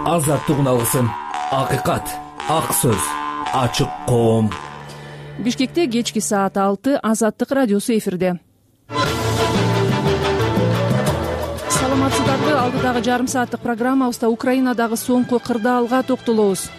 азаттыгын алгысың. Акыйкат, ак сөз, ачык коом. Бишкекте кечки саат 6 Азаттык радиосу эфирде. Саламатсыздарбы? Алдыдагы жарым сааттык программабызда Украинадагы соңку кырдаалга токтолобуз.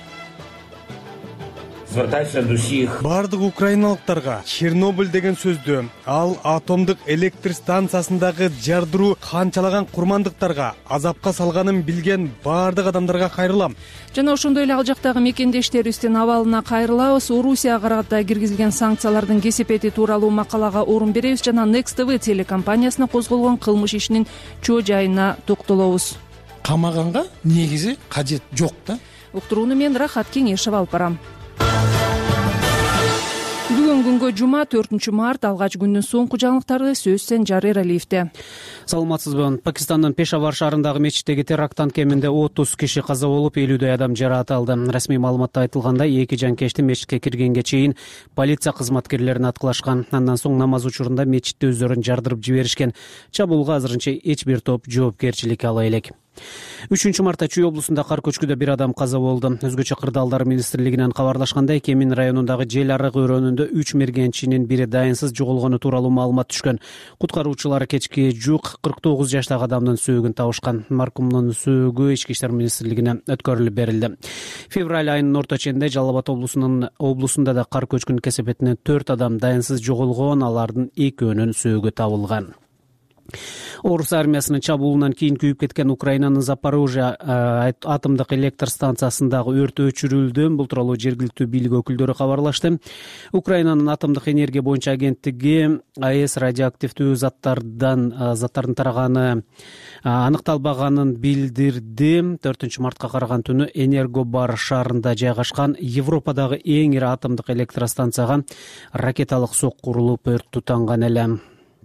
Бардык украиналыктарга Чернобыль деген сөздү, ал атомдук электр станциясындагы жардыруу канчалаган курмандыктарга азапка салганын билген бардык адамдарга кайрылам. Жана ошондой эле ал жактагы мекендештерибиздин абалына кайрылабыз. Орусияга карата киргизилген санкциялардын кесепети тууралуу макалага орун беребиз жана Next TV телекомпаниясына козголгон кылмыш ишинин чоо жайына токтолобуз. Камаганга негизи кажет жок да. Уктурууну мен Рахат Кеңешев алып барам. Бүгүн күнгө жума 4 март алгач күндүн соңку жаңылыктары сөз Сенжар Эралиевде. Саламатсызбы? Пакистандын Пешавар шаарындагы мечиттеги теракттан кеминде 30 киши каза болуп, 50дөй адам жаракат алды. Расмий маалыматта айтылгандай, 2 жанкечти мечитке киргенге чейин полиция кызматкерлерин аткылашкан. Андан соң намаз учурунда мечитти өздөрүн жардырып жиберишкен. Чабуулга азырынча эч бир топ жоопкерчилик ала элек. 3 мартта Чүй облусунда кар көчкүдө бир адам каза болду. Өзгөчө кырдаалдар министрлигинен кабарлашкандай, Кемин районундагы Жел арык өрөөнүндө 3 мергенчинин бири дайынсыз жоголгону тууралуу маалымат түшкөн. Куткаруучулар кечки жук 49 жаштагы адамдын сөөгүн табышкан. Маркумдун сөөгү Ички иштер министрлигине өткөрүлүп берилди. Февраль айынын орто ченинде Жалал Абад облусунда да кар көчкүнүн кесепетинен 4 адам дайынсыз жоголгон, алардын экөөнүн сөөгү табылган. Орус армиясынын чабуулунан кийин күйүп кеткен Украинанын Запорожье атомдук электр станциясындагы өрт өчүрүлдү. Бул тууралуу жергиликтүү бийлик өкүлдөрү кабарлашты. Украинанын атомдук энергия боюнча агенттиги АЭС радиоактивдүү заттардын тараганы аныкталбаганын билдирди. 4 мартка караган түнү Энергобар шаарында жайгашкан Европадагы эң ири атомдук электростанцияга ракеталык сокку урулуп өрт тутанган эле.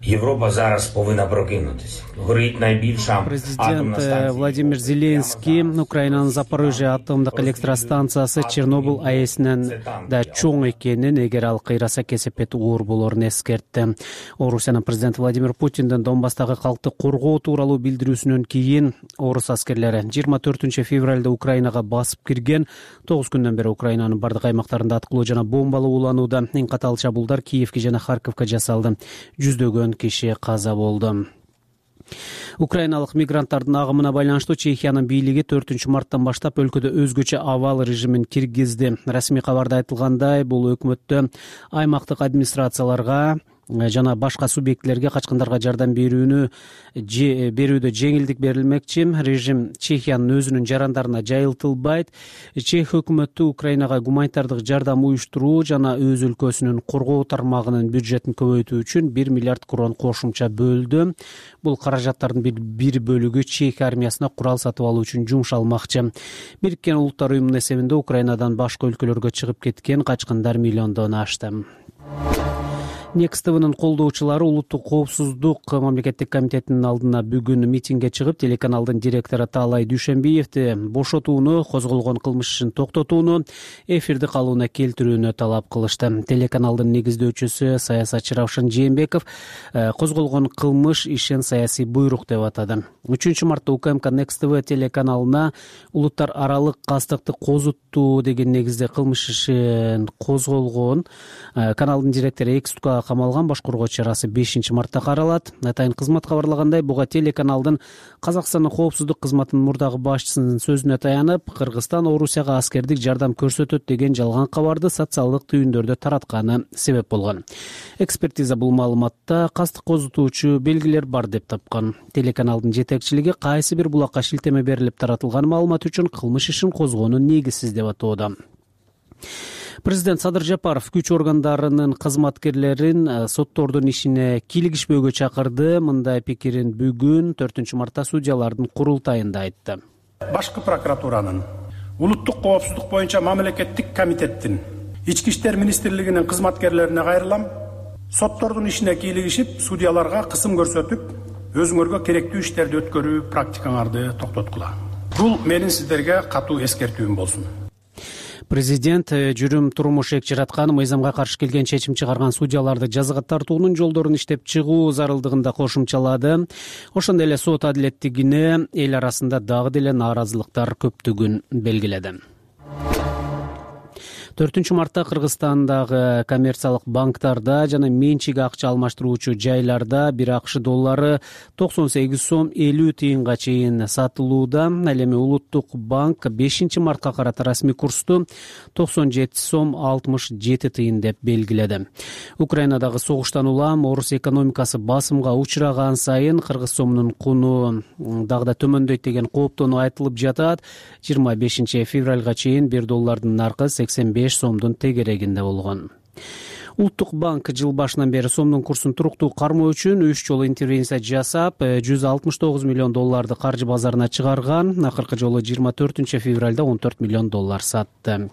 Европа зараз повинна прокинутися. Горить найбільша Президент Владимир Зеленский Украинанын Запорожье атомдук электростанциясы Чернобыль АЭСинен да чоң экенин, эгер ал кыйраса кесепети оор болорун эскертти. Орусиянын президенти Владимир Путиндин Донбасстагы калкты коргоо тууралуу билдирүүсүнөн кийин орус аскерлери 24 февралда Украинага басып кирген. 9 күндөн бери Украинанын бардык аймактарында аткылуу жана бомбалуу уланууда. Эң катаал чабуулдар Киевке жана Харьковго жасалды. Жүздөгөн киши каза болду. Украиналык мигранттардын агымына байланыштуу Чехиянын бийлиги 4 марттан баштап өлкөдө өзгөчө абал режимин киргизди. Расмий кабарда айтылгандай, бул өкмөттө аймактык администрацияларга жана башка субъектлерге качкындарга жардам берүүдө жеңилдик берилмекчи. Режим Чехиянын өзүнүн жарандарына жайылтылбайт. Чех өкмөтү Украинага гуманитардык жардам уюштуруу жана өз өлкөсүнүн коргоо тармагынын бюджетин көбөйтүү үчүн 1 миллиард крон кошумча бөлдү. Бул каражаттардын бир бөлүгү Чех армиясына курал сатып алуу үчүн жумшалмакчы. Бириккен Улуттар уюмунун эсебинде Украинадан башка өлкөлөргө чыгып кеткен качкындар миллиондон ашты. Next TV'нын колдоочулары Улуттук коопсуздук мамлекеттик комитетинин алдына бүгүн митингге чыгып, телеканалдын директору Таалай Дүйшөнбиевди бошотууну, козголгон кылмыш ишин токтотууну, эфирди калыбына келтирүүнү талап кылышты. Телеканалдын негиздөөчүсү саясатчы Равшан Жээнбеков козголгон кылмыш ишин саясий буйрук деп атады. 3 мартта УКМК Next TV телеканалына улуттар аралык кастыкты козуттуу деген негизде кылмыш ишин козголгон. Каналдын директору Экстукка камалган. Башкаруу чарасы 5 мартта каралат. Атайын кызмат кабарлагандай, буга телеканалдын Казакстандын коопсуздук кызматынын мурдагы башчысынын сөзүнө таянып, Кыргызстан Орусияга аскердик жардам көрсөтөт деген жалган кабарды социалдык түйүндөрдө таратканы себеп болгон. Экспертиза бул маалыматта кастык козутуучу белгилер бар деп тапкан. Телеканалдын жетекчилиги кайсы бир булакка шилтеме берилип таратылган маалымат үчүн кылмыш ишин козгоону негизсиз деп атоодо. Президент Садыр Жапаров күч органдарынын кызматкерлерин соттордун ишине кийлигишпөөгө чакырды. Мындай пикирин бүгүн 4 мартта судьялардын курултайында айтты. Башкы прокуратуранын, Улуттук коопсуздук боюнча мамлекеттик комитеттин, Ички иштер министрлигинин кызматкерлерине кайрылам. Соттордун ишине кийлигишип, судьяларга кысым көрсөтүп, өзүңөргө керектүү иштерди өткөрүү практикаңарды токтоткула. Бул менин сиздерге катуу эскертүүм болсун. Президент жүрүм турмуш эк жараткан, мыйзамга каршы келген чечим чыгарган судьяларды жазага тартуунун жолдорун иштеп чыгуу зарылдыгын да кошумчалады. Ошондой эле сот адилеттигине эл арасында дагы деле нааразылыктар көптүгүн белгиледи. 4 мартта Кыргызстандагы коммерциялык банктарда жана менчик акча алмаштыруучу жайларда бир акш доллары 98 сом 50 тыйынга чейин сатылууда. Ал эми Улуттук банк 5 мартка карата расмий курсту 97 сом 67 тыйын деп белгиледи. Украинадагы согуштан улам орус экономикасы басымга учураган сайын кыргыз сомунун куну дагы да төмөндөйт деген кооптонуу айтылып жатат. 25 февралга чейин 1 доллардын наркы 85 сомдун тегерегинде болгон. Улуттук банк жыл башынан бери сомдун курсун туруктуу кармоо үчүн 3 жолу интервенция жасап, 169 миллион долларды каржы базарына чыгарган. Акыркы жолу 24 февралда 14 миллион доллар сатты.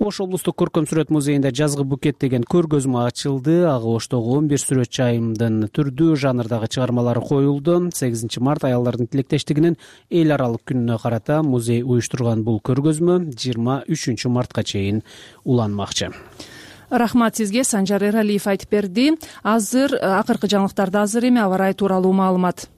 Ош облустук көркөм сүрөт музейинде жазгы букет деген көргөзмө ачылды. Ага Оштогу 11 сүрөтчү айымдын түрдүү жанрдагы чыгармалары коюлду. 8 март аялдардын тилектештигинин эл аралык күнүнө карата музей уюштурган бул көргөзмө 23 мартка чейин уланмакчы. Рахмат сизге, Санжар Эралиев айтып берди. Азыр акыркы жаңылыктарды азыр эми аба ырайы тууралуу маалымат.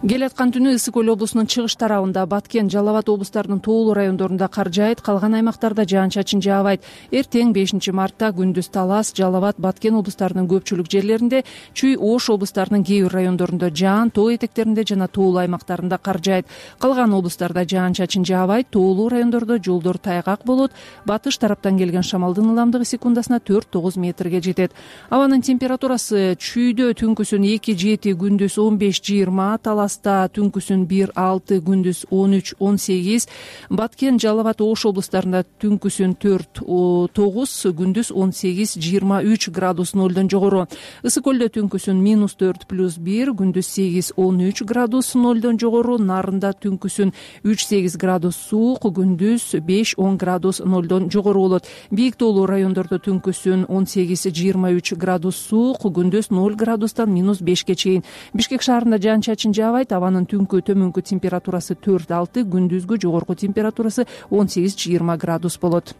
Келаткан түнү Ысык Көл облусунун чыгыш тарабында, Баткен, Жалал Абад облустарынын тоолуу райондорунда кар жаайт, калган аймактарда жаан-чачын жаабайт. Эртең 5 мартта күндүз Талас, Жалал Абад, Баткен облустарынын көпчүлүк жерлеринде, Чүй, Ош облустарынын кээ бир райондорунда жаан, тоо этектеринде жана тоолуу аймактарында кар жаайт. Калган облустарда жаан-чачын жаабайт, тоолуу райондордо жолдор тайгак болот. Батыш тараптан келген шамалдын ылдамдыгы секундасына 4-9 метрге жетет. Абанын температурасы Чүйдө түнкүсүн 2-7, күндүз 15-20, Талас түнкүсүн 1-6, күндүз 13-18, Баткен, Жалал Абад, Ош облустарында түнкүсүн 4-9, күндүз 18-23 градус нолдон жогору. Ысык Көлдө түнкүсүн -4+1, күндүз 8-13 градус нолдон жогору. Нарында түнкүсүн 3-8 градус суук, күндүз 5-10 градус нолдон жогору болот. Бийик тоолуу райондордо түнкүсүн 18-23 градус суук, күндүз 0 градустан -5ке чейин. Бишкек шаарында жаан-чачын жаабайт. Абанын түнкү төмөнкү температурасы 4-6, күндүзгү жогорку температурасы 18-20 градус болот.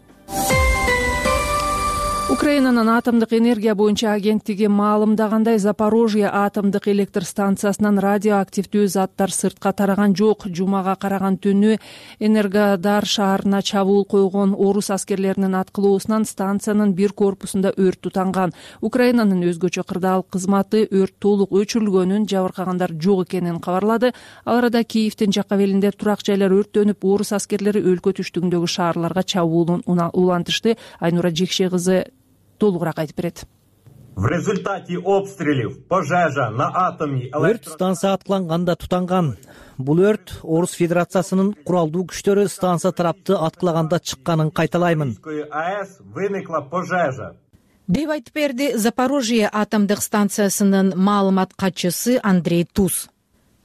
Украинанын атомдук энергия боюнча агенттиги маалымдагандай, Запорожье атомдук электр станциясынан радиоактивдүү заттар сыртка тараган жок. Жумага караган түнү Энергодар шаарына чабуул койгон орус аскерлеринин аткылоосунан станциянын бир корпусунда өрт тутанган. Украинанын өзгөчө кырдаал кызматы өрт толук өчүрүлгөнүн, жабыркагандар жок экенин кабарлады. Ал арада Киевдин жак абелинде турак жайлар өрттөнүп, орус аскерлери өлкө түштүгүндөгү шаарларга чабуулун улантышты. Айнура Жекше кызы толугураак айтып берет. В результате обстрелов пожежа на атомной өрт станция аткыланганда тутанган. Бул өрт Орус Федерациясынын куралдуу күчтөрү станция тарапты аткылаганда чыкканын кайталаймын. АЭС выныкла пожежа деп айтып берди Запорожье атомдук станциясынын маалымат катчысы Андрей Туз.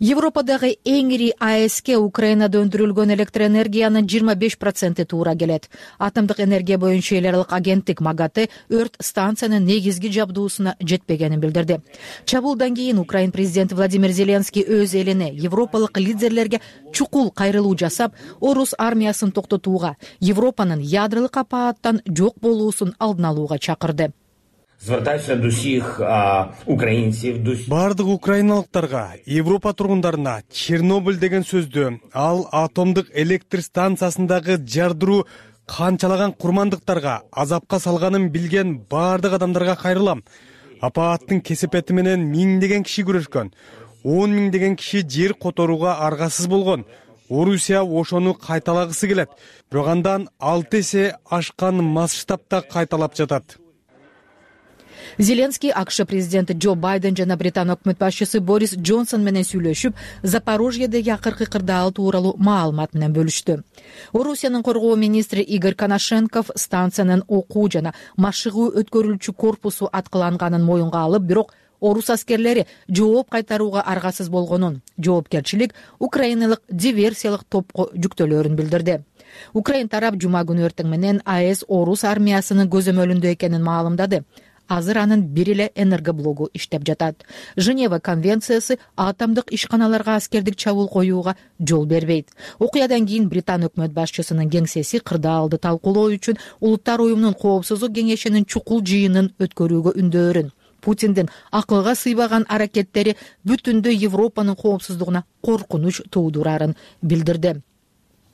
Европадагы эң ири АЭСке Украинада өндүрүлгөн электроэнергиянын 25% туура келет. Атомдук энергия боюнча эл аралык агенттик МАГАТЭ өрт станциянын негизги жабдуусуна жетпегенин билдирди. Чабуулдан кийин Украин президенти Владимир Зеленский өз элине, европалык лидерлерге чукул кайрылуу жасап, орус армиясын токтотууга, Европанын ядролук апааттан жок болуусун алдын алууга чакырды. Звертаюся до всіх українців, бардык украиналыктарга, Европа тургундарына Чернобыль деген сөздү, ал атомдук электр станциясындагы жардыруу канчалаган курмандыктарга азапка салганын билген бардык адамдарга кайрылам. Апааттын кесепети менен миңдеген киши күрөшкөн, 10 миңдеген киши жер которууга аргасыз болгон. Орусия ошону кайталагысы келет, бирок андан 6 эсе ашкан масштабта кайталап жатат. Зеленский АКШ президенти Джо Байден жана Британ өкмөт башчысы Борис Джонсон менен сүйлөшүп, Запорожьедеги акыркы кырдаал тууралуу маалымат менен бөлүштү. Орусиянын коргоо министри Игорь Коношенков станциянын окуу жана машыгуу өткөрүлчү корпусу аткыланганын моюнга алып, бирок орус аскерлери жооп кайтарууга аргасыз болгонун, жоопкерчилик украиналык диверсиялык топко жүктөлөрүн билдирди. Украин тарап жума күнү эртең менен АЭС орус армиясынын көзөмөлүндө экенин маалымдады. азыр анын бир эле энергоблогу иштеп жатат. Женева конвенциясы атомдук ишканаларга аскердик чабуул коюуга жол бербейт. Окуядан кийин Британ өкмөт башчысынын кеңсеси кырдаалды талкуулоо үчүн Улуттар уюмунун коопсуздук кеңешинин чукул жыйынын өткөрүүгө үндөөрүн. Путиндин акылга сыйбаган аракеттери бүтүндөй Европанын коопсуздугуна коркунуч туудурарын билдирди.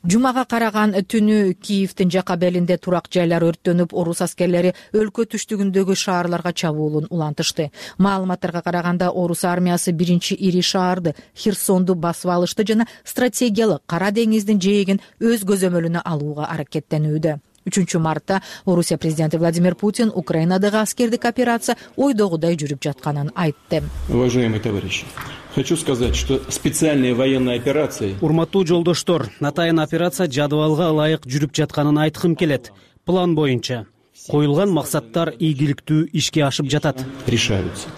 Жумага караган түнү Киевдин жака белинде турак жайлар өрттөнүп, орус аскерлери өлкө түштүгүндөгү шаарларга чабуулун улантышты. Маалыматтарга караганда орус армиясы биринчи ири шаарды Херсонду басып алышты жана стратегиялык Кара деңиздин жээгин өз көзөмөлүнө алууга аракеттенүүдө. 3 мартта Орусия президенти Владимир Путин Украинадагы аскердик операция ойдогудай жүрүп жатканын айтты. Уважаемые товарищи, хочу сказать, что специальная военная операция... Урматтуу жолдоштор, атайын операция жадыбалга ылайык жүрүп жатканын айткым келет. План боюнча коюлган максаттар ийгиликтүү ишке ашып жатат. Решаются.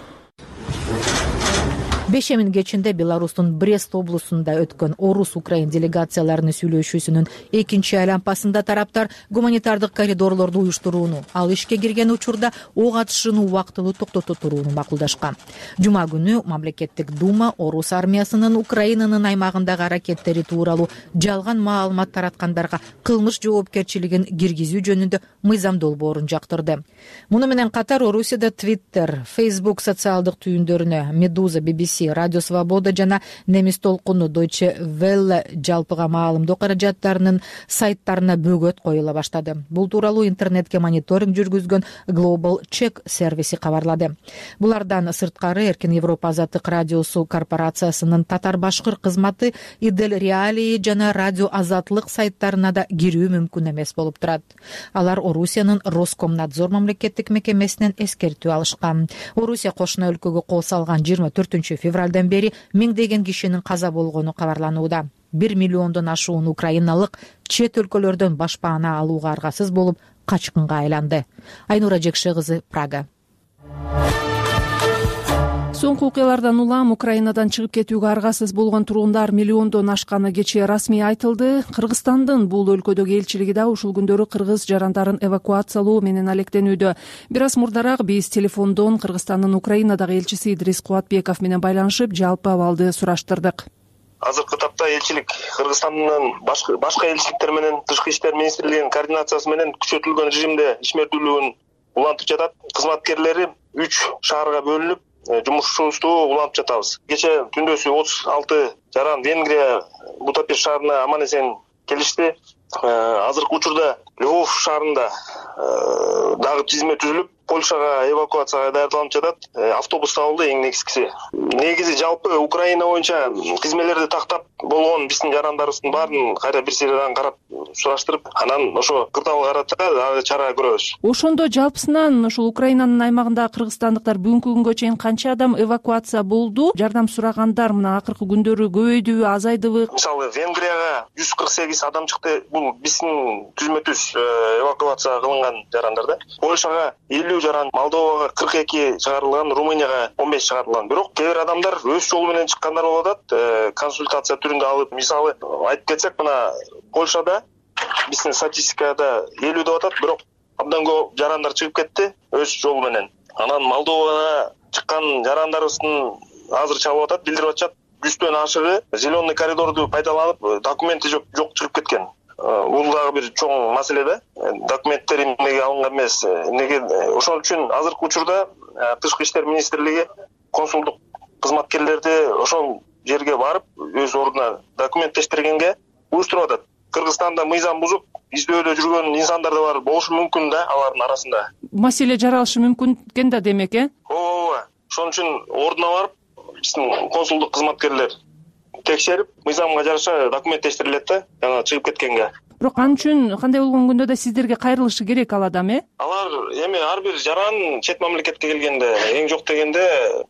Бешемин кечинде Беларустун Брест облусунда өткөн орус-украин делегацияларынын сүйлөшүүсүнүн экинчи айланпасында тараптар гуманитардык коридорлорду уюштурууну, ал ишке кирген учурда ок атышууну убактылуу токтото турууну макулдашкан. Жума күнү мамлекеттик дума орус армиясынын Украинанын аймагындагы аракеттери тууралуу жалган маалымат тараткандарга кылмыш жоопкерчилигин киргизүү жөнүндө мыйзам долбоорун жактырды. Муну менен катар Орусияда Twitter, Facebook социалдык түйүндөрүнө, Медуза, BBC, Радио Свобода жана немис толкуну Deutsche Welle жалпыга маалымдоо каражаттарынын сайттарына бөгөт коюла баштады. Бул тууралуу интернетке мониторинг жүргүзгөн Global Check сервиси кабарлады. Булардан сырткары Эркин Европа Азаттык радиосу корпорациясынын татар-башкыр кызматы, Идел Реалии жана Радио Азатлык сайттарына да кирүү мүмкүн эмес болуп турат. Алар Орусиянын Роскомнадзор мамлекеттик мекемесинен эскертүү алышкан. Орусия кошуна өлкөгө кол салган 24 февралдан бери миңдеген кишинин каза болгону кабарланууда. 1 миллиондон ашуун украиналык чет өлкөлөрдөн башпаана алууга аргасыз болуп качкынга айланды. Айнура Жекше кызы, Прага. Соңку окуялардан улам Украинадан чыгып кетүүгө аргасыз болгон тургундар миллиондон ашканы кечээ расмий айтылды. Кыргызстандын бул өлкөдөгү элчилиги да ушул күндөрү кыргыз жарандарын эвакуациялоо менен алектенүүдө. Бир аз мурдараак биз телефондон Кыргызстандын Украинадагы элчиси Идрис Кубатбеков менен байланышып, жалпы абалды сураштырдык. Азыркы тапта элчилик Кыргызстандын башка элчиликтер менен Тышкы иштер министрлигинин координациясы менен күчөтүлгөн режимде ишмердүүлүгүн улантып жатат. Кызматкерлери 3 шаарга бөлүнүп жумушубузду улантып жатабыз. Кече түндөсү 36 жаран Венгрия Будапешт шаарына аман эсен келишти. Азыркы учурда Львов шаарында дагы тизме түзүлүп, Польшага эвакуацияга даярдалып жатат. Автобус табылды, эң негизгиси. Негизи жалпы Украина боюнча тизмелерди тактап болгон биздин жарандарыбыздын баарын кайра бир сериядан карап сураштырып, анан ошо кырдаалга карата чара көрөбүз. Ошондо жалпысынан ушул Украинанын аймагында кыргызстандыктар бүгүнкү күнгө чейин канча адам эвакуация болду? Жардам сурагандар мына акыркы күндөрү көбөйдүбү, азайдыбы? Мисалы Венгрияга 148 адам чыкты. Бул биздин түзмөтүбүз эвакуация кылынган жарандар да. Польшага 50 жаран, Молдовага 42 чыгарылган, Румынияга 15 чыгарылган. Бирок кээ бир адамдар өз жолу менен чыккандар болуп атат. Консультация түрүндө алып, мисалы айтып кетсек, мына Польшада биздин статистикада 50 деп атат, бирок абдан көп жарандар чыгып кетти өз жолу менен. Анан Молдовага чыккан жарандарыбыздын азыр чабып атат, билдирип атышат. 100төн ашыгы зеленый коридорду пайдаланып, документи жок чыгып кеткен. Бул дагы бир чоң маселе да. Документтер эмнеге алынган эмес, эмнеге ошол үчүн азыркы учурда Тышкы иштер министрлиги консулдук кызматкерлерди ошол жерге барып, өз ордуна документтештиргенге уюштуруп атат. Кыргызстанда мыйзам бузуп, издөөдө жүргөн инсандар да бар, болушу мүмкүн да алардын арасында. Маселе жаралышы мүмкүн экен да, демек, Ооба. Ошон үчүн ордуна барып, биздин консулдук кызматкерлер текшерип, мыйзамга жараша документтештирилет да, жана чыгып кеткенге. Бирок ал үчүн кандай болгон күндө да сиздерге кайрылышы керек ал адам, Алар эми ар бир жаран чет мамлекетке келгенде, эң жок дегенде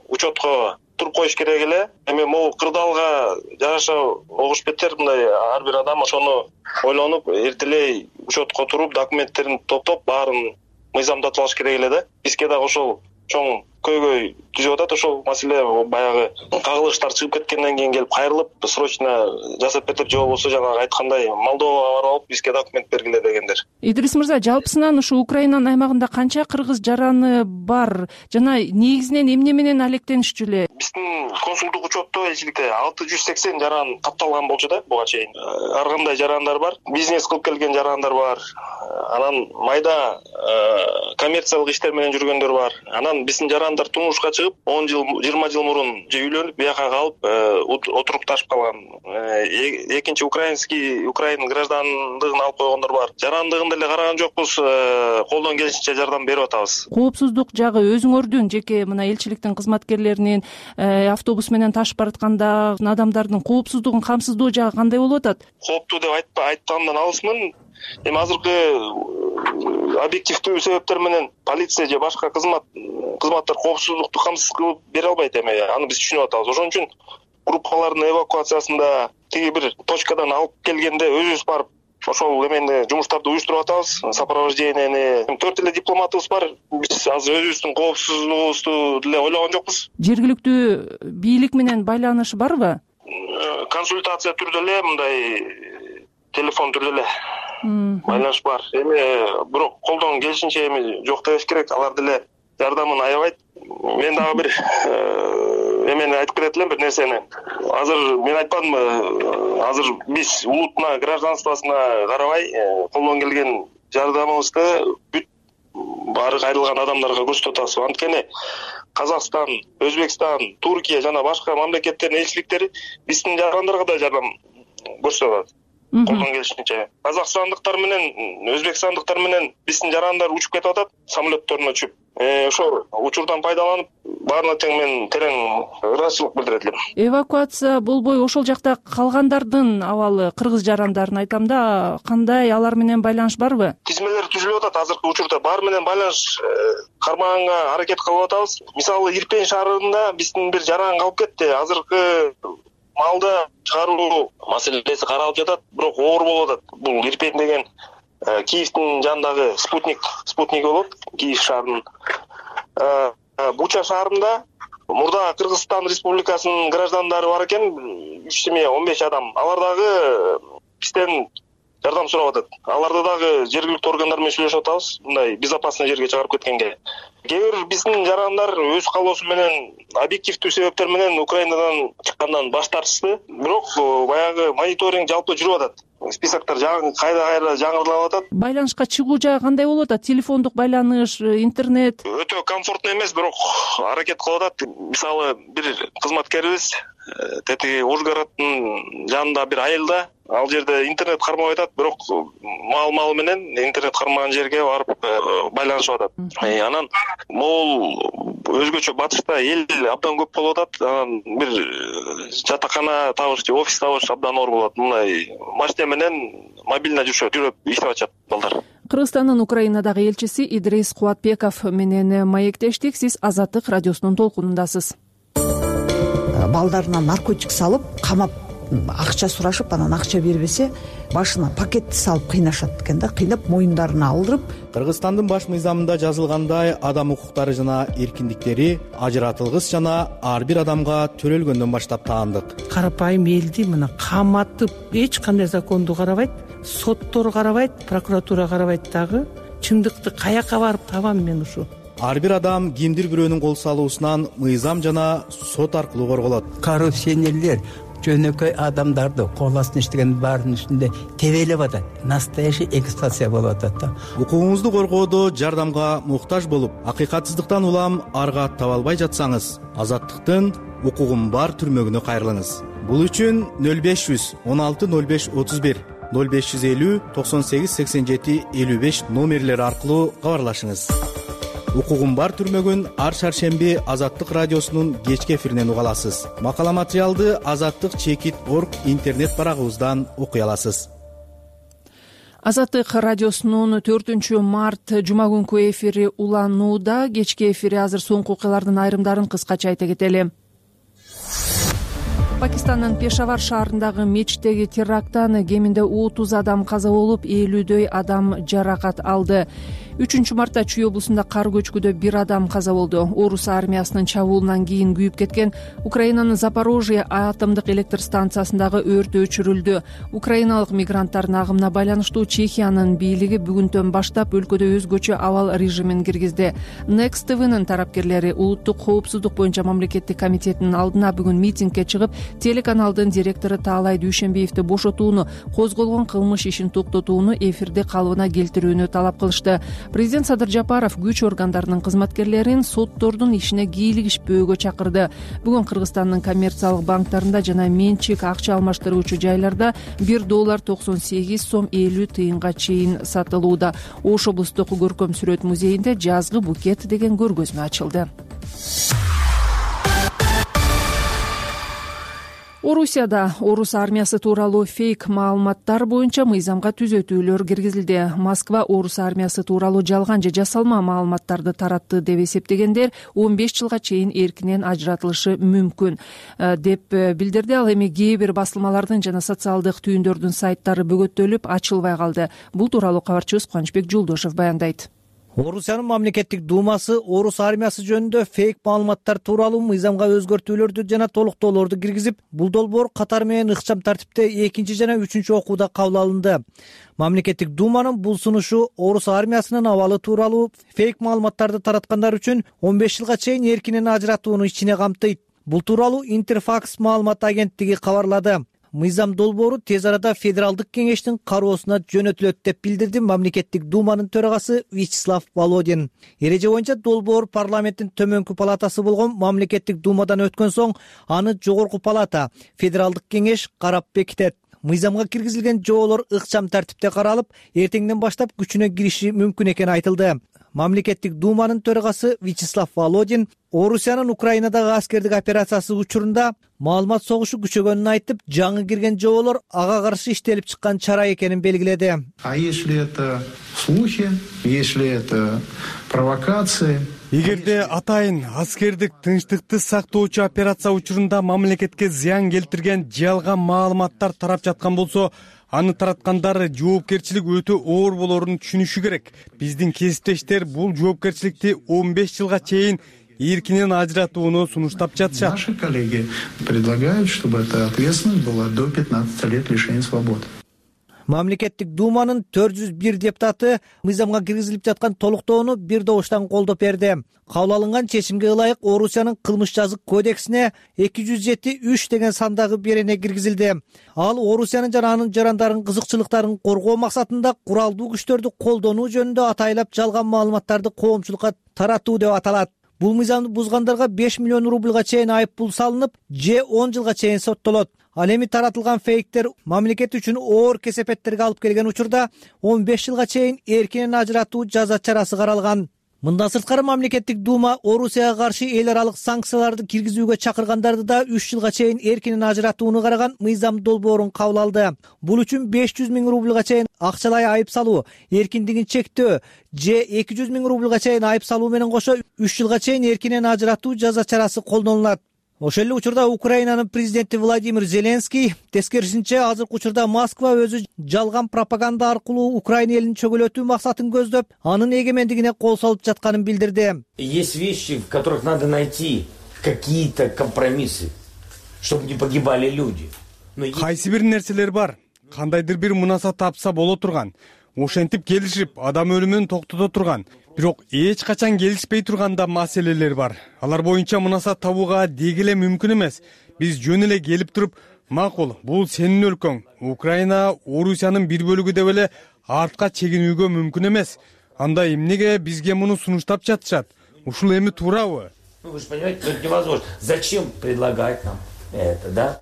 учетко туруп коюш керек эле. Эми могу кырдаалга жараша огуш беттер, мындай ар бир адам ошону ойлонуп, эртелей учетко туруп, документтерин топтоп, баарын мыйзамдатып алыш керек эле да. Бизге дагы ошол чоң көйгөй түзүп атат. Ошол маселе баягы кагылыштар чыгып кеткенден кийин келип кайрылып срочно жасап берип, же болбосо жанагы айткандай Молдовага барып алып бизге документ бергиле дегендер. Идрис мырза, жалпысынан ушу Украинанын аймагында канча кыргыз жараны бар жана негизинен эмне менен алектенишчү эле? Биздин консулдук учетто элчиликте 680 жаран катталган болчу да буга чейин. Ар кандай жарандар бар, бизнес кылып келген жарандар бар, анан майда коммерциялык иштер менен жүргөндөр бар. Анан биздин жарандар турмушка чыгып 10 жыл 20 жыл мурун же үйлөнүп бияка калып отурукташып калган. Экинчи Украин граждандыгын алып койгондор бар. Жарандыгын деле караган жокпуз, колдон келишинче жардам берип атабыз. Коопсуздук жагы өзүңөрдүн жеке мына элчиликтин кызматкерлеринин автобус менен ташып баратканда адамдардын коопсуздугун камсыздоо жагы кандай болуп атат? Кооптуу деп айткандан алысмын. Эми азыркы объективдүү себептер менен полиция же башка кызматтар коопсуздукту камсыз кылып бере албайт. Эми аны биз түшүнүп атабыз. Ошон үчүн группалардын эвакуациясында тиги бир точкадан алып келгенде өзүбүз барып ошол эмени жумуштарды уюштуруп атабыз. Сопровождениени 4 эле дипломатыбыз бар. Биз азыр өзүбүздүн коопсуздугубузду деле ойлогон жокпуз. Жергиликтүү бийлик менен байланыш барбы? Консультация түрдө эле, мындай телефон түрдө эле байланыш бар. Эми бирок колдон келишинче эми жок дебеш керек. Алар деле жардамын аябайт. Мен дагы бир эмени айтып кетет элем, бир нерсени. Азыр мен айтпадымбы, азыр биз улутуна, гражданствосуна карабай колдон келген жардамыбызды бүт баары кайрылган адамдарга көрсөтүп атабыз. Анткени Казакстан, Өзбекстан, Туркия жана башка мамлекеттердин элчиликтери биздин жарандарга да жардам көрсөтүп атат. Колдон келишинче. Казакстандыктар менен, өзбекстандыктар менен биздин жарандар учуп кетип атат, самолетторуна түшүп. Ошол учурдан пайдаланып, баарына тең мен терең ыраазычылык билдирет элем. Эвакуация болбой ошол жакта калгандардын абалы, кыргыз жарандарын айтам да, кандай, алар менен байланыш барбы? Тизмелер түзүлүп атат. Азыркы учурда баары менен байланыш кармаганга аракет кылып атабыз. Мисалы, Ирпень шаарында биздин бир жаран калып кетти. Азыркы малды чыгаруу маселеси каралып жатат, бирок оор болуп атат. Бул Ирпень деген Киевдин жанындагы спутник болот, Киев шаарынын. Буча шаарында мурда Кыргызстан Республикасынын граждандары бар экен, 3 семья 15 адам. Алар дагы бизден жардам сурап атат. Аларды дагы жергиликтүү органдар менен сүйлөшүп атабыз, мындай безопасный жерге чыгарып кеткенге. Кээ бир биздин жарандар өз каалоосу менен, объективдүү себептер менен Украинадан чыккандан баш тартышты. Бирок баягы мониторинг жалпы жүрүп атат. Списоктор кайда жаңырылып атат. Байланышка чыгуу жагы кандай болуп атат? Телефондук байланыш, интернет? Өтө комфортный эмес, бирок аракет кылып атат. Мисалы, бир кызматкерибиз тетиги Ужгороддун жанында бир айылда, ал жерде интернет кармабай атат, бирок мал менен интернет кармаган жерге барып байланышып атат. Анан могул өзгөчө батышта эл абдан көп болуп атат. Анан бир жатакана табыш же офис табыш абдан оор болот. Мындай машина менен мобильно жүрүп иштеп атышат балдар. Кыргызстандын Украинадагы элчиси Идрис Кубатбеков менен маектештик. Сиз Азаттык радиосунун толкунундасыз. Балдарына наркотик салып, камап, акча сурашып, анан акча бербесе, башына пакетти салып кыйнашат экен да, кыйнап моюндарына алдырып. Кыргызстандын баш мыйзамында жазылгандай, адам укуктары жана эркиндиктери ажыратылгыс жана ар бир адамга төрөлгөндөн баштап таандык. Карапайым элди мына каматып, эч кандай законду карабайт, соттор карабайт, прокуратура карабайт дагы. Чындыкты каяка барып табам мен ушу? Ар бир адам кимдир бирөөнүн кол салуусунан мыйзам жана сот аркылуу корголот. Коррупционерлер жөнөкөй адамдарды кол астына иштеген баарынын үстүндө тебелеп атат. Настоящий эксплуатация болуп атат да. Укугуңузду коргоодо жардамга муктаж болуп, акыйкатсыздыктан улам арга таба албай жатсаңыз, Азаттыктын укугум бар түрмөгүнө кайрылыңыз. Бул үчүн 0500 16 05 31 0550 98 87 55 номерлери аркылуу кабарлашыңыз. Укугум бар түрмөгүн ар шаршемби Азаттык радиосунун кечки эфиринен уга аласыз. Макала материалды azattik.org интернет барагыбыздан окуй аласыз. Азаттык радиосунун 4 март жума күнкү эфири уланууда. Кечки эфири азыр соңку окуялардын айрымдарын кыскача айта кетели. Пакистандын Пешавар шаарындагы мечиттеги теракттан кеминде 30 адам каза болуп, 50дөй адам жаракат алды. 3-мартта Чүй облусунда кар көчкүдө 1 адам каза болду. Орус армиясынын чабуулунан кийин күйүп кеткен Украинанын Запорожье атомдук электр станциясындагы өрт өчүрүлдү. Украиналык мигранттардын агымына байланыштуу Чехиянын бийлиги бүгүндөн баштап өлкөдө өзгөчө абал режимин киргизди. Next TV'нин тарапкерлери улуттук коопсуздук боюнча мамлекеттик комитетинин алдына бүгүн митингге чыгып, телеканалдын директору Таалай Дүйшенбиевди бошотууну, козголгон кылмыш ишин токтотууну, эфирди калыбына келтирүүнү талап кылышты. Президент Садыр Жапаров күч органдарынын кызматкерлерин соттордун ишине кийлигишпөөгө чакырды. Бүгүн Кыргызстандын коммерциялык банктарында жана менчик акча алмаштыруучу жайларда $1.98 50 тыйынга чейин сатылууда. Ош облустук көркөм сүрөт музейинде жазгы букет деген көргөзмө ачылды. Орусияда орус армиясы тууралуу фейк маалыматтар боюнча мыйзамга түзөтүүлөр киргизилди. Москва орус армиясы тууралуу жалган же жасалма маалыматтарды таратты деп эсептегендер 15 жылга чейин эркинен ажыратылышы мүмкүн деп билдирди. Ал эми кээ бир басылмалардын жана социалдык түйүндөрдүн сайттары бөгөттөлүп ачылбай калды. Бул тууралуу кабарчыбыз Кубанычбек Жолдошев баяндайт. Орусиянын мамлекеттик думасы орус армиясы жөнүндө фейк маалыматтар тууралуу мыйзамга өзгөртүүлөрдү жана толуктоолорду киргизип, бул долбоор катар менен ыкчам тартипте 2 жана 3 окууда кабыл алынды. Мамлекеттик думанын бул сунушу орус армиясынын абалы тууралуу фейк маалыматтарды тараткандар үчүн 15 жылга чейин эркинен ажыратууну ичине камтыйт. Бул тууралуу Интерфакс маалымат агенттиги кабарлады. Мыйзам долбоору тез арада Федералдык кеңештин кароосуна жөнөтүлөт деп билдирди мамлекеттик думанын төрагасы Вячеслав Володин. Эреже боюнча долбоор парламенттин төмөнкү палатасы болгон мамлекеттик думадан өткөн соң аны жогорку палата Федералдык кеңеш карап бекитет. Мыйзамга киргизилген жоолор ыкчам тартипте каралып, эртеңден баштап күчүнө кириши мүмкүн экени айтылды. Мамлекеттик думанын төрагасы Вячеслав Володин Орусиянын Украинадагы аскердик операциясы учурунда маалымат согушу күчөгөнүн айтып, жаңы кирген жоолор ага каршы иштелип чыккан чара экенин белгиледи. А если это слухи, если это провокации? Эгерде атайын аскердик тынчтыкты сактоочу операция учурунда мамлекетке зыян келтирген жалган маалыматтар тарап жаткан болсо, аны тараткандар жоопкерчилик өтө оор болоорун түшүнүшү керек. Биздин кесиптештер бул жоопкерчиликти 15 жылга чейин эркинен ажыратууну сунуштап жатышат. Наши коллеги предлагают, чтобы эта ответственность была до 15 лет лишения свободы. Мамлекеттик думанын 401 депутаты мыйзамга киргизилип жаткан толуктоону бир добуштан колдоп берди. Кабыл алынган чечимге ылайык Орусиянын кылмыш жазык кодексине 207-3 деген сандагы берене киргизилди. Ал Орусиянын жана анын жарандарынын кызыкчылыктарын коргоо максатында куралдуу күчтөрдү колдонуу жөнүндө атайлап жалган маалыматтарды коомчулукка таратуу деп аталат. Бул мыйзамды бузгандарга 5 миллион рубльга чейин айып пул салынып, же 10 жылга чейин соттолот. Ал эми таратылган фейктер мамлекет үчүн оор кесепеттерге алып келген учурда 15 жылга чейин эркинен ажыратуу жаза чарасы каралган. Мындан сырткары мамлекеттик дума Орусияга каршы эл аралык санкцияларды киргизүүгө чакыргандарды да 3 жылга чейин эркинен ажыратууну караган мыйзам долбоорун кабыл алды. Бул үчүн 500 миң рубльга чейин акчалай айып салуу, эркиндигин чектөө же 200 миң рубльга чейин айып салуу менен кошо 3 жылга чейин эркинен ажыратуу жаза чарасы колдонулат. Ошол эле учурда Украинанын президенти Владимир Зеленский тескерисинче азыркы учурда Москва өзү жалган пропаганда аркылуу Украина элин чөгөлөтүү максатын көздөп, анын эгемендигине кол салып жатканын билдирди. Есть вещи, в которых надо найти какие-то компромиссы, чтобы не погибали люди. Кайсы бир нерселер бар, кандайдыр бир мунаса тапса боло турган, ошентип келишип адам өлүмүн токтото турган. Бирок эч качан келишпей турганда маселелер бар. Алар боюнча мунаса табууга деги эле мүмкүн эмес. Биз жөн эле келип туруп, макул, бул сенин өлкөң, Украина Орусиянын бир бөлүгү деп эле артка чегинүүгө мүмкүн эмес. Анда эмнеге бизге муну сунуштап жатышат? Ушул эми туурабы? Вы же понимаете, это невозможно. Зачем предлагать нам это, да?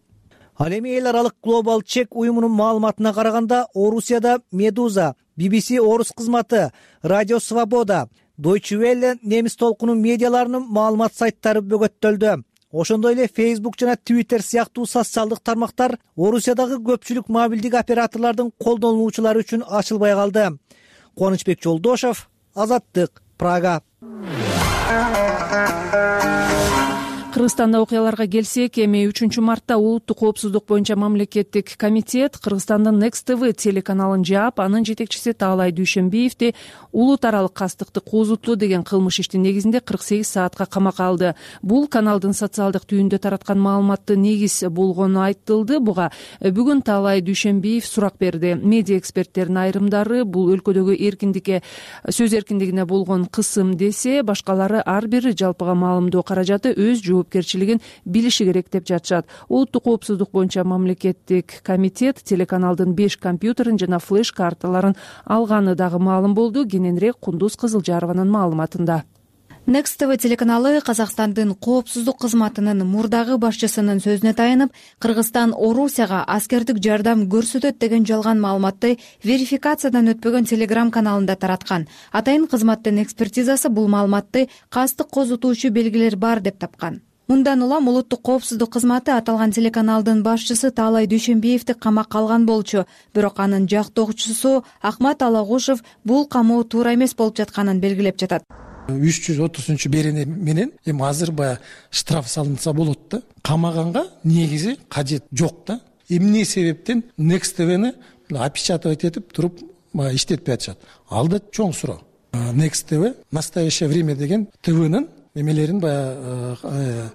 Ал эми эл аралык Global Check уюмунун маалыматына караганда, Орусияда Медуза, BBC орус кызматы, Радио Свобода, Deutsche Welle немис толкунун медиаларынын маалымат сайттары бөгөттөлдү. Ошондой эле Facebook жана Twitter сыяктуу социалдык тармактар Орусиядагы көпчүлүк мобилдик операторлордун колдонуучулары үчүн ачылбай калды. Кубанычбек Жолдошев, Азаттык, Прага. Кыргызстанда окуяларга келсек, эми 3-мартта улуттук коопсуздук боюнча мамлекеттик комитет Кыргызстандын Next TV телеканалын жаап, анын жетекчиси Таалай Дүйшөнбиевди улут аралык кастыкты козутуу деген кылмыш иштин негизинде 48 саатка камакка алды. Бул каналдын социалдык түйүндө тараткан маалыматты негиз болгону айтылды. Буга бүгүн Таалай Дүйшөнбиев сурак берди. Медиа эксперттердин айрымдары бул өлкөдөгү эркиндикке, сөз эркиндигине болгон кысым десе, башкалары ар бир жалпыга маалымдоо каражаты өз жоопкерчилигин билиши керек деп жатышат. Улуттук коопсуздук боюнча мамлекеттик комитет телеканалдын 5 компьютерин жана флеш карталарын алганы дагы маалым болду. Кененирээк Кундуз Кызылжарованын маалыматында. Next TV телеканалы Казакстандын коопсуздук кызматынын мурдагы башчысынын сөзүнө таянып, Кыргызстан Орусияга аскердик жардам көрсөтөт деген жалган маалыматты верификациядан өтпөгөн Telegram каналында тараткан. Атайын кызматтын экспертизасы бул маалыматты кастык козутуучу белгилер бар деп тапкан. Мындан улам улуттук коопсуздук кызматы аталган телеканалдын башчысы Таалай Дүйшөнбиевди камакка алган болчу. Бирок анын жактоочусу Ахмат Алагушев бул камоо туура эмес болуп жатканын белгилеп жатат. 330 менен эми азыр баягы штраф салынса болот да. Камаганга негизи кажет жок да. Эмне себептен Next TV'ни опечатывать этип туруп иштетпей атышат? Ал да чоң суроо. Next TV настоящее время деген ТВнын эмелерин баягы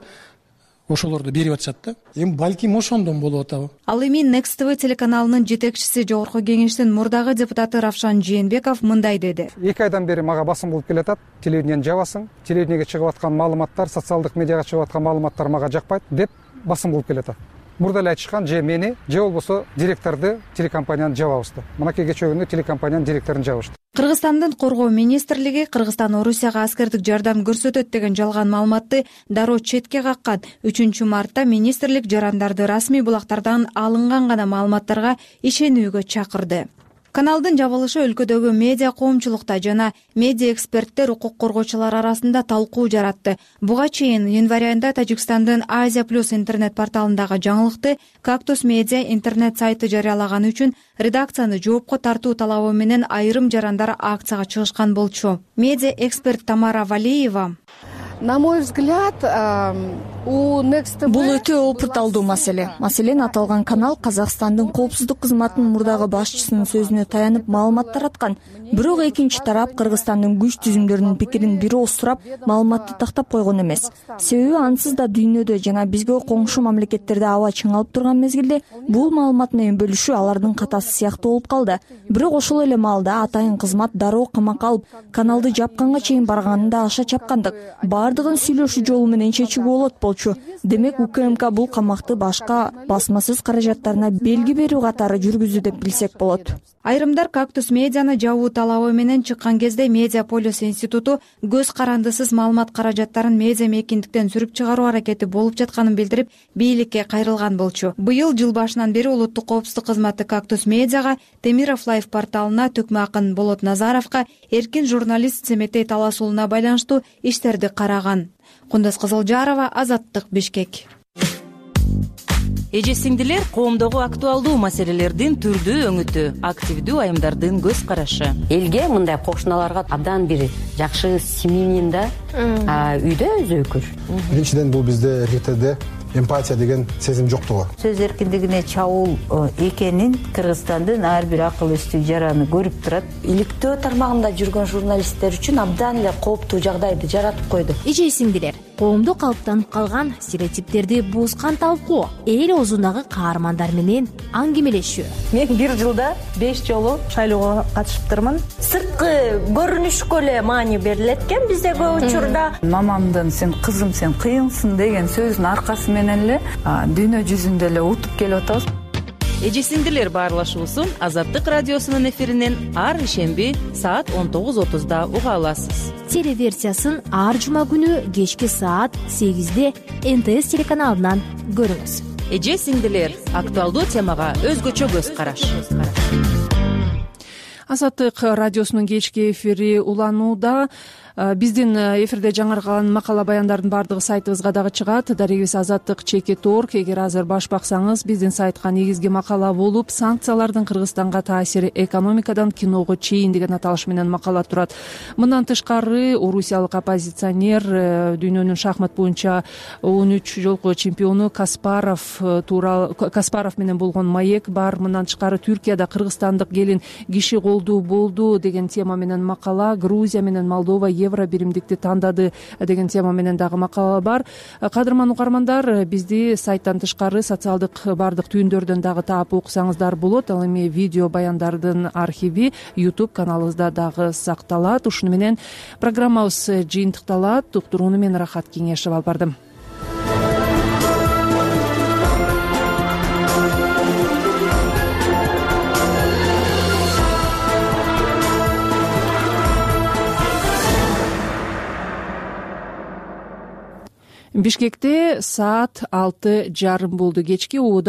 ошолорду берип атышат да. Эми балким ошондон болуп атабы? Ал эми Next TV телеканалынын жетекчиси, Жогорку кеңештин мурдагы депутаты Равшан Жээнбеков мындай деди. 2 айдан бери мага басым болуп келатат. Телевидениени жабасың, телевидениеге чыгып аткан маалыматтар, социалдык медиага чыгып аткан маалыматтар мага жакпайт деп басым болуп келатат. Мурда эле айтышкан, же мени, же болбосо директорду телекомпанияны жабабызды. Мынакей кечээ телекомпаниянын директорун жабышты. Кыргызстандын Коргоо министрлиги Кыргызстан Орусияга аскердик жардам көрсөтөт деген жалган маалыматты дароо четке каккан. 3-мартта министрлик жарандарды расмий булактардан алынган гана маалыматтарга ишенүүгө чакырды. Каналдын жабылышы өлкөдөгү медиа коомчулукта жана медиа эксперттер, укук коргоочулар арасында талкуу жаратты. Буга чейин январь айында Тажикстандын Азия Плюс интернет порталындагы жаңылыкты Кактус медиа интернет сайты жарыялаганы үчүн редакцияны жоопко тартуу талабы менен айрым жарандар акцияга чыгышкан болчу. Медиа эксперт Тамара Валиева: На мой взгляд, бул өтө опурталдуу маселе. Маселен, аталган канал Казакстандын коопсуздук кызматынын мурдагы башчысынын сөзүнө таянып маалымат тараткан. Бирок экинчи тарап Кыргызстандын күч түзүмдөрүнүн пикирин бир ооз сурап, маалыматты тактап койгон эмес. Себеби ансыз да дүйнөдө жана бизге коңшу мамлекеттерде аба чыңалып турган мезгилде бул маалымат менен бөлүшүү алардын катасы сыяктуу болуп калды. Бирок ошол эле маалда атайын кызмат дароо камакка алып, каналды жапканга чейин барганында аша чапкандык. Бардыгын сүйлөшүү жолу менен чечүүгө болот болчу. Демек УКМК бул камакты башка басмасөз каражаттарына белги берүү катары жүргүздү деп билсек болот. Айрымдар Кактус медианы жабуу талабы менен чыккан кезде Медиаполис институту көз карандысыз маалымат каражаттарын медиа мейкиндиктен сүрүп чыгаруу аракети болуп жатканын билдирип, бийликке кайрылган болчу. Быйыл жыл башынан бери улуттук коопсуздук кызматы Кактус медиага, Темиров Лайф порталына, Төкмө акын Болот Назаровго эркин журналист Семетей талашуулуна байланыштуу иштерди караган. Кундуз Кызылжарова, Азаттык, Бишкек. Эже сиңдилер, коомдогу актуалдуу маселелердин түрдүү өңүтү, активдүү айымдардын көз карашы. Элге мындай кошуналарга абдан бир жакшы симинин да үйдө өзөкүр. Биринчиден бул бизде эркектерде эмпатия деген сезим жоктугу. Сөз эркиндигине чабуул экенин Кыргызстандын ар бир акыл эстүү жараны көрүп турат. Иликтөө тармагында жүргөн журналисттер үчүн абдан эле кооптуу жагдайды жаратып койду. Эже сиңдилер, коомдо калыптанып калган стереотиптерди бузган талкуу, эл оозундагы каармандар менен аңгемелешүү. Мен бир жылда 5 жолу шайлоого катышыптырмын. Сырткы көрүнүшкө эле маани берилет экен бизде көп учурда. Мамамдын "сен кызым, сен кыйынсың" деген сөзүнүн аркасы менен эле дүйнө жүзүндө эле утуп келип атабыз. Эже сиңдилер баарлашуусун Азаттык радиосунун эфиринен ар ишемби саат 19:30 уга аласыз. Телеверсиясын ар жума күнү кечки саат 8-де НТС телеканалынан көрүңүз. Эже сиңдилер, актуалдуу темага өзгөчө көз караш. Азаттык радиосунун кечки эфири уланууда. Биздин эфирде жаңыркаган макала баяндардын баардыгы сайтыбызга дагы чыгат. Дарегибиз Азаттык.org. Эгер азыр баш баксаңыз, биздин сайтка негизги макала болуп, санкциялардын Кыргызстанга таасири экономикадан киного чейин деген аталыш менен макала турат. Мындан тышкары, орусиялык оппозиционер, дүйнөнүн шахмат боюнча 13 жолку чемпиону Каспаров менен болгон маек бар. Мындан тышкары, Түркияда кыргызстандык келин киши колдуу болду деген тема менен макала, Грузия менен Молдова евро биримдикти тандады деген тема менен дагы макала бар. Кадырман угармандар, бизди сайттан тышкары социалдык баардык түйүндөрдөн дагы таап окусаңыздар болот. Ал эми видео баяндардын архиви YouTube каналыбызда дагы сакталат. Ушуну менен программабыз жыйынтыкталат. Уктурууну мен Рахат Кеңешева алып бардым. Бишкекте саат 6:30 болду. Кечки убада